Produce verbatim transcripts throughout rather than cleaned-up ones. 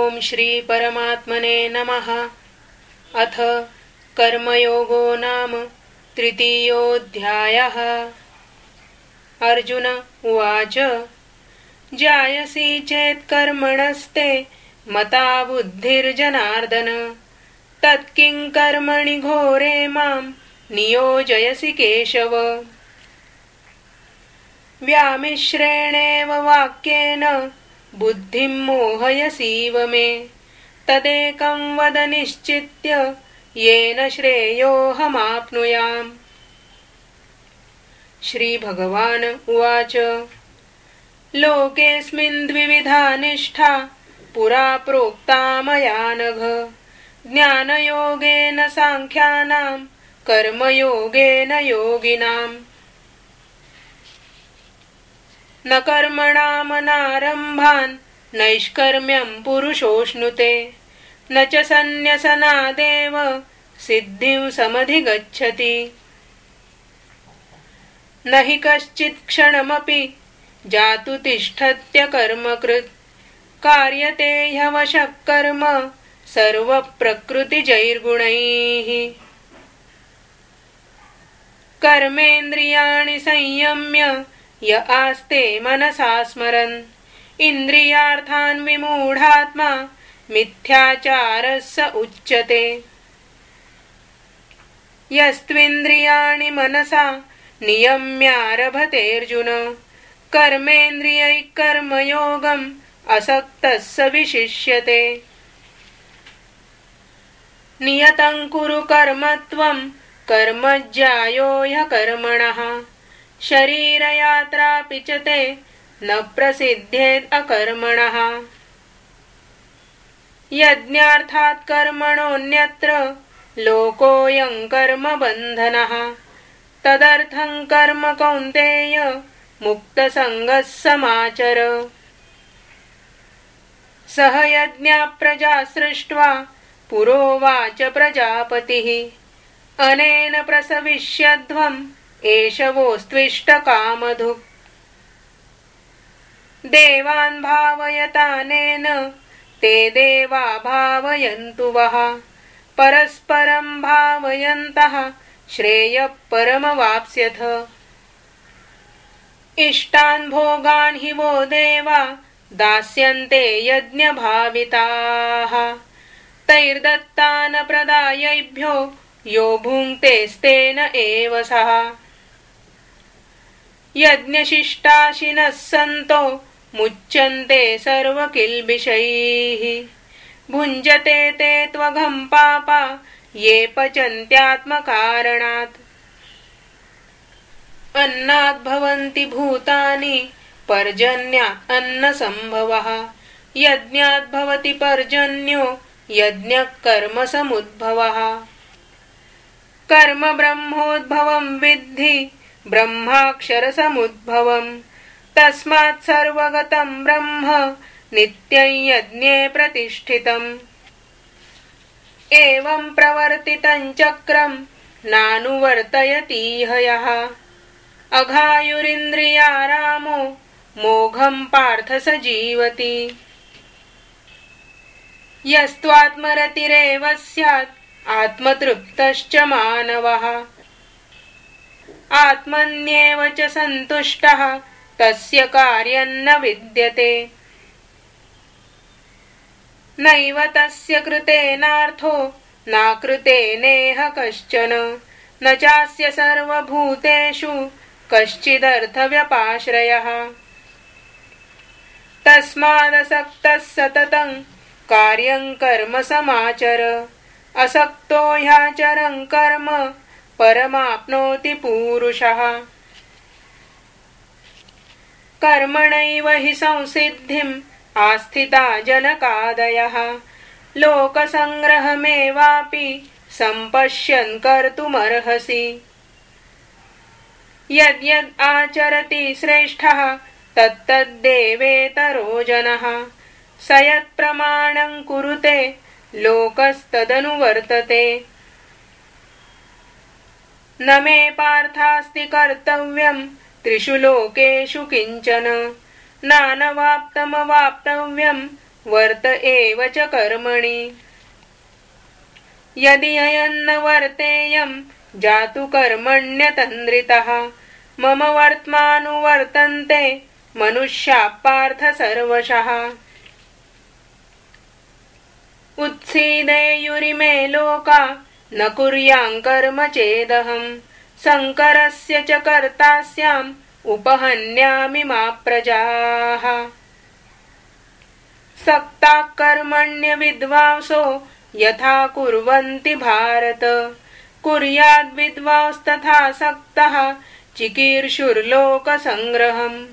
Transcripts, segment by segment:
ओम श्री परमात्मने नमः। अथ कर्मयोगो नाम तृतीयोऽध्यायः। अर्जुन उवाच जायसी चेत् कर्मणस्ते मता बुद्धिर्जनार्दन तत्किं कर्मणि घोरे मां नियोजयसि केशव। व्यामिश्रेणेव वाक्येन बुद्धिं मोहयसीव मे तदेकं वद निश्चित्य येन श्रेयोऽहमाप्नुयाम्। श्रीभगवान् उवाच लोकेऽस्मिन् द्विविधा निष्ठा पुरा प्रोक्ता मया नघ ज्ञानयोगेन सांख्यानां कर्मयोगेन योगिनाम्। न कर्मणामनारम्भान् नैष्कर्म्यं पुरुषोऽश्नुते न च सन्न्यसनादेव सिद्धिं समधिगच्छति। न हि कश्चित् क्षणमपि जातु तिष्ठत्यकर्मकृत् कार्यते ह्यवशः कर्म सर्वप्रकृतिजैर्गुणैः। कर्मेन्द्रियाणि संयम्य य आस्ते मनसा स्मरन् इन्द्रियार्थान् विमूढात्मा मिथ्याचारः स उच्यते। यस्त्विन्द्रियाणि मनसा नियम्यारभतेऽर्जुन कर्मेन्द्रियैः कर्मयोगम् असक्तः स विशिष्यते। नियतं कुरु कर्म त्वं कर्मज्यायो ह्यकर्मणः शरीरयात्रापि च ते न प्रसिद्ध्येत् अकर्मणः। यज्ञार्थात् कर्मणोऽन्यत्र लोकोऽयं कर्मबन्धनः तदर्थं कर्म कौन्तेय मुक्तसङ्गः समाचर। सह यज्ञा प्रजा सृष्ट्वा पुरोवाच प्रजापतिः अनेन प्रसविष्यध्वम् एष वोस्त्विष्टकामधुक्। देवान् भावयतानेन ते देवा भावयन्तु वः परस्परं भावयन्तः श्रेयः परमवाप्स्यथ। इष्टान् भोगान् हि वो देवा दास्यन्ते यज्ञभाविताः तैर्दत्तान् प्रदायैभ्यो यो भुङ्क्तेस्तेन एव सः। यज्ञशिष्टाशिनः सन्तो मुच्यन्ते सर्वकिल्बिषैः भुञ्जते ते त्वघं पापा ये पचन्त्यात्मकारणात्। अन्नात् भवन्ति भूतानि पर्जन्यात् अन्नसम्भवः यज्ञात् भवति पर्जन्यो यज्ञः कर्मसमुद्भवः। कर्म ब्रह्मोद्भवं विद्धि ब्रह्माक्षरसमुद्भवम् तस्मात् सर्वगतं ब्रह्म नित्यं यज्ञे प्रतिष्ठितम्। एवं प्रवर्तितं चक्रं नानुवर्तयतीह यः अघायुरिन्द्रियारामो मोघं पार्थ स जीवति। यस्त्वात्मरतिरेव स्यात् आत्मतृप्तश्च मानवः आत्मन्येव च सन्तुष्टः तस्य कार्यं न विद्यते। नैव तस्य कृतेनार्थो नाकृतेनेह कश्चन न चास्य सर्वभूतेषु कश्चिदर्थव्यपाश्रयः। तस्मादसक्तः सततं कार्यं कर्म समाचर असक्तो ह्याचरन् कर्म परमाप्नोति पूरुषः। कर्मणैव हि संसिद्धिम् आस्थिता जनकादयः लोकसङ्ग्रहमेवापि सम्पश्यन् कर्तुमर्हसि। यद्यद् आचरति श्रेष्ठः तत्तद्देवेतरो जनः स यत्प्रमाणं कुरुते लोकस्तदनुवर्तते। न मे पार्थास्ति कर्तव्यं त्रिषु लोकेषु किंचन नानवाप्तमवाप्तव्यं वर्त एव च कर्मणि। यदि अयन्न वर्तेयं जातु कर्मण्यतन्द्रितः मम वर्त्मानुवर्तन्ते मनुष्याः पार्थ सर्वशः। उत्सीदेयुरिमे लोका न कुर्यां कर्म चेदहं शङ्करस्य च कर्ता स्याम् उपहन्यामि मा प्रजाः। सक्ताः कर्मण्य विद्वांसो यथा कुर्वन्ति भारत कुर्याद् विद्वांस्तथा सक्तः चिकीर्षुर्लोकसङ्ग्रहम्।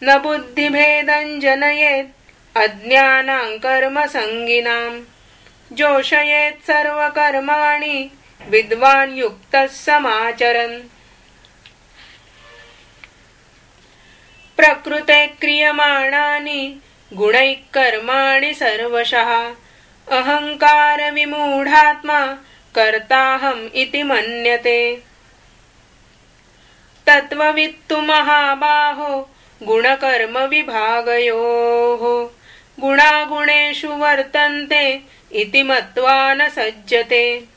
न बुद्धिभेदं जनयेत् अज्ञानां कर्मसङ्गिनां जोषयेत् सर्वकर्माणि विद्वान् युक्तः समाचरन्। प्रकृते क्रियमाणानि गुणैः कर्माणि सर्वशः अहङ्कार विमूढात्मा कर्ताहम् इति मन्यते। तत्त्ववित्तु महाबाहो गुणकर्म विभागयोः गुणागुणेषु वर्तन्ते इति मत्वा न सज्जते।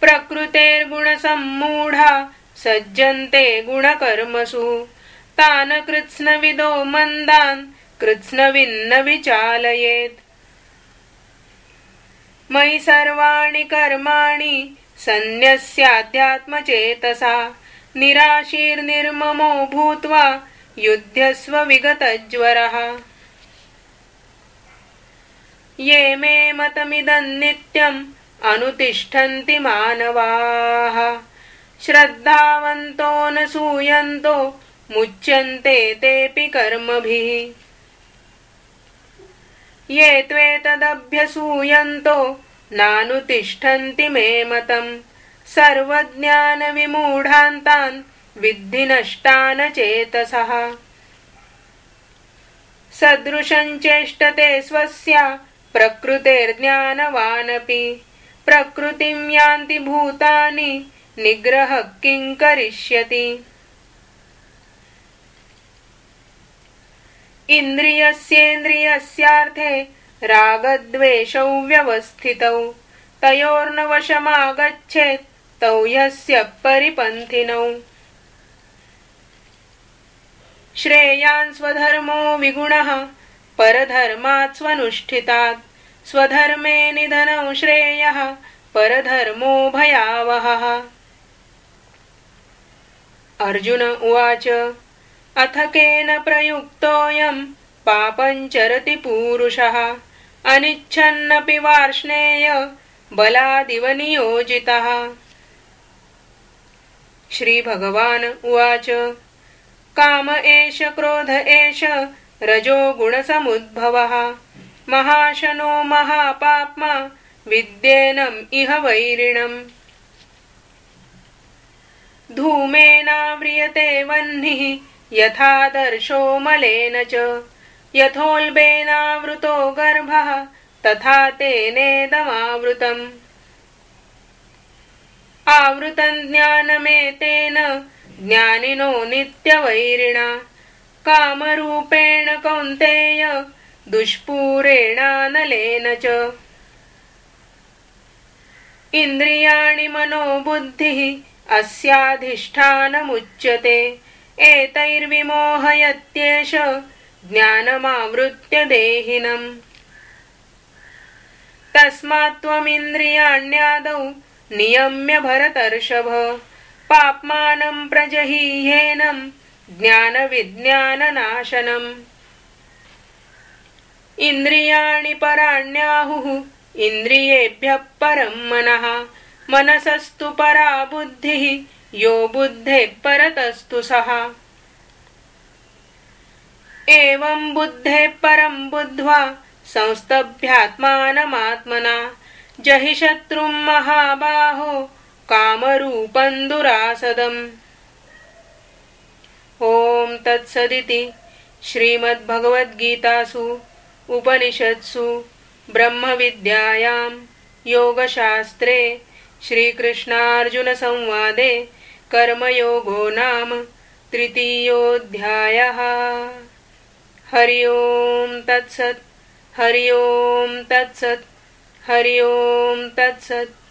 प्रकृतेर्गुणसम्मूढा सज्जन्ते गुणकर्मसु तान् कृत्स्नविदो मन्दान् कृत्स्नविन्न विचालयेत्। मयि सर्वाणि कर्माणि सन्न्यस्याध्यात्मचेतसा निराशीर्निर्ममो भूत्वा युध्यस्व विगतज्वरः। ये मे मतमिदं नित्यम् अनुतिष्ठन्ति मानवाः श्रद्धावन्तो न सूयन्तो मुच्यन्ते तेऽपि कर्मभिः। ये त्वेतदभ्यसूयन्तो नानुतिष्ठन्ति मे मतम् सर्वज्ञानविमूढान्तान् विद्धि नष्टान चेतसः। सदृशं चेष्टते स्वस्या प्रकृतेर्ज्ञानवानपि प्रकृतिं यान्ति भूतानि निग्रहः किं करिष्यति। इन्द्रियस्येन्द्रियस्यार्थे रागद्वेषौ व्यवस्थितौ तयोर्न वशमागच्छेत् तौ ह्यस्य परिपन्थिनौ। श्रेयान् स्वधर्मो विगुणः परधर्मात् स्वनुष्ठितात् स्वधर्मे निधनौ श्रेयः परधर्मो भयावहः। अर्जुन उवाच अथ केन प्रयुक्तोऽयं पापं चरति पूरुषः अनिच्छन्नपि वार्ष्णेय बलादिव नियोजितः। श्रीभगवान् उवाच काम एष क्रोध एष रजो गुणसमुद्भवः महाशनो महापाप्मा विद्येनम् इह वैरिणम्। धूमेनाव्रियते वह्निः यथादर्शो मलेन च यथोल्बेनावृतो गर्भः तथा तेनेदमावृतम्। आवृतं ज्ञानमेतेन ज्ञानिनो नित्यवैरिणा कामरूपेण कौन्तेय दुष्पूरेणानलेन च। इन्द्रियाणि मनोबुद्धिः अस्याधिष्ठानमुच्यते एतैर्विमोहयत्येष ज्ञानमावृत्य देहिनम्। तस्मात् त्वमिन्द्रियाण्यादौ नियम्य भरतर्षभ पाप्मानं प्रजहीह्येनं ज्ञानविज्ञाननाशनम्। इन्द्रियाणि पराण्याहुः इन्द्रियेभ्यः परं मनः मनसस्तु परा बुद्धिः यो बुद्धेः परतस्तु सः। एवं बुद्धेः परं बुद्ध्वा संस्तभ्यात्मानमात्मना जहि शत्रुं महाबाहो कामरूपं दुरासदम्। ओम तत्सदिति श्रीमद्भगवद्गीतासु उपनिषत्सु ब्रह्मविद्यायां योगशास्त्रे श्रीकृष्णार्जुनसंवादे कर्मयोगो नाम तृतीयोऽध्यायः। हरि ओम तत्सत् हरि ओम तत्सत् हरि ओम तत्सत्।